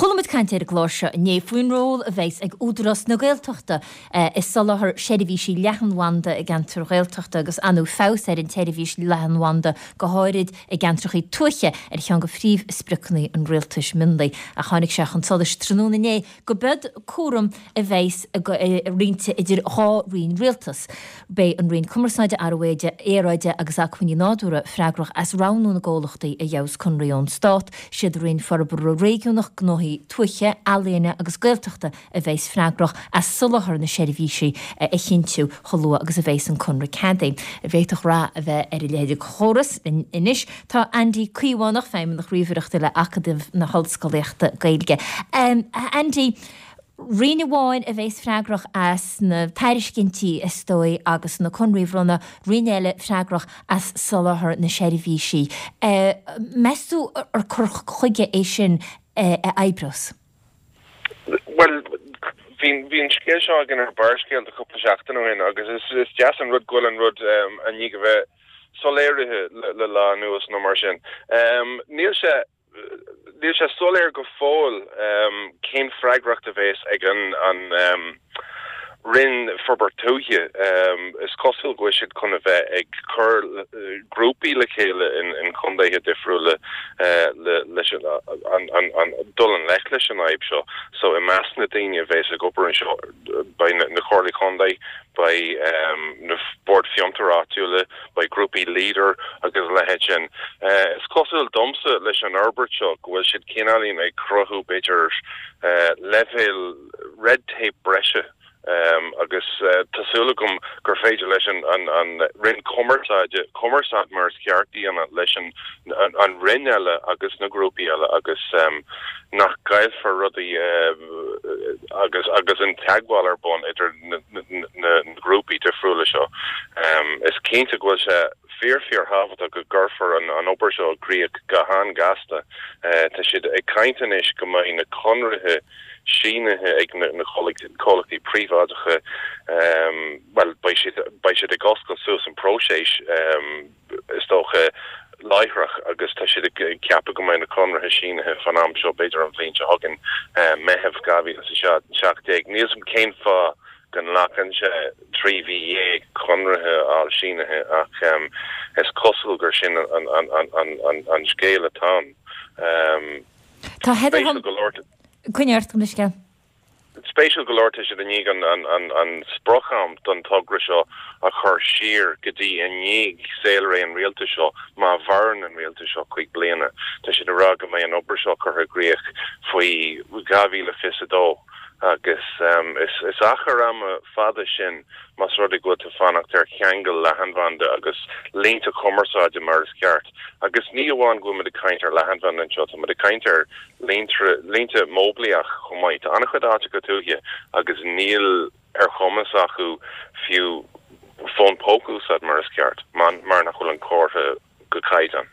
Chuala muid caint ar an gclár seo inné faoin ról a bheas ag Údarás na Gaeltachta i soláthar seirbhísí leathanbhanda i gceantair Ghaeltachta agus ar ndóigh feabhas ar an tseirbhís leathanbhanda go háirid i gceantracha tuaithe ar cheann de phríomhspriocanna an rialtais mionlaigh ach tháinig sé chun solais tráthnóna inné go b'iod cúram a bheas roinnte idir dhá roinn rialtais. Beidh an Roinn Cumarsáide, Athrú Aeráide agus Acmhainní Nádúrtha freagrach as roghnú na gcomhlachtaí a gheobhas conraí ón Stát. Siad Roinn Forbartha Réigiúnach, Gnóthaí Tuaithe, Ealaíne agus Gaeltachta a bheas freagrach as soláthar na seirbhísí a chinntiú chomh luath agus a bheas an conradh ceadaithe. An bhféadfadh rath a bheith ar a leithéid de chóras anois. Tá Andy Caomhánach, Feidhmeannach Ríomhaireachta le Acadamh na hOllscolaíochta Gaeilge. A Andy, roinn amháin a bheas freagrach as na tairiscintí, is dóigh, agus na conraí a bhronnadh, roinn eile freagrach as soláthar na seirbhísí. Meas tú ar cur chuige é sin a oibreos? Bhuel, bhí bhí an scéal seo againn ar Barrscéalta cúpla seachtain ó shin agus is is deas an rud go bhfuil an rud i ndiaidh a bheith soiléirithe le lá anuas nó mar sin. Níl sé níl sé soiléir go fóill cén freagracht a bheas ag an an Roinn Forbairt Tuaithe. Is cosúil go bhfuil siad chun a bheith ag cur grúpaí le chéile in contaetha difriúla leis an dul i ngleic leis an fhadhb seo. So i measc na daoine a bheas ag obair anseo beidh na comhairlí contae, beidh na Boird Fiontair Áitiúla, beidh grúpaí Leader agus a leithéid sin. Is cosúil domsa leis an fhorbairt seo go bhfuil siad cineáilín ag cruthú b'fhéidir leibhéal red tape breise agus tá súil agam gur féidir leis an Roinn Cumarsáide cumarsáid mar is ceart a dhéanamh leis an Roinn eile agus na grúpaí eile agus nach gcaillfear rudaí agus agus an teagmháil ar bun idir na grúpaí difriúla seo. Is cinnte go bhfuil sé fíor fíor thábhachtach go gcuirfear an obair seo i gcrích go han-ghasta. Tá siad ag caint anois go mbeidh na conraithe sínithe ag na comhlachtaí príobháideacha, bhuel, beidh siad, beidh siad ag oscailt suas an próiseas, is dócha, láithreach agus tá siad ag ceapadh go mbeidh na conraithe sínithe fán am seo, b'fhéidir an bhliain seo chugainn, Meitheamh 2017. Níl 's a'm cén fáth go nglacann sé 13 mhí conraithe a fháil sínithe ach is cosúil gur sin an scéal atá ann. Tá Heather Spéisiúil go leor. Coinnigh ort, gabh mo leithscéal. Spéisiúil go leor tá siad i ndiaidh an sprioc-am don togra seo a chur siar go dtí i ndiaidh saolré an rialtais seo, má mhaireann an rialtas seo 5 bliana. Tá siad ag rá go mbeidh an obair seo curtha i gcrích faoi 2022 agus is achar ama fada sin más rud é go bhfuil tú ag fanacht ar cheangal leathanbhanda agus línte cumarsáide mar is ceart. Agus ní amháin go bhfuil muid ag caint ar leathanbhanda anseo, tá muid ag caint ar línte móiblíoch chomh maith. Tá an-chuid áiteacha tuaithe agus níl ar chumas acu fiú fón póca a úsáid mar is ceart mar nach bhfuil an comhartha go caighdeán.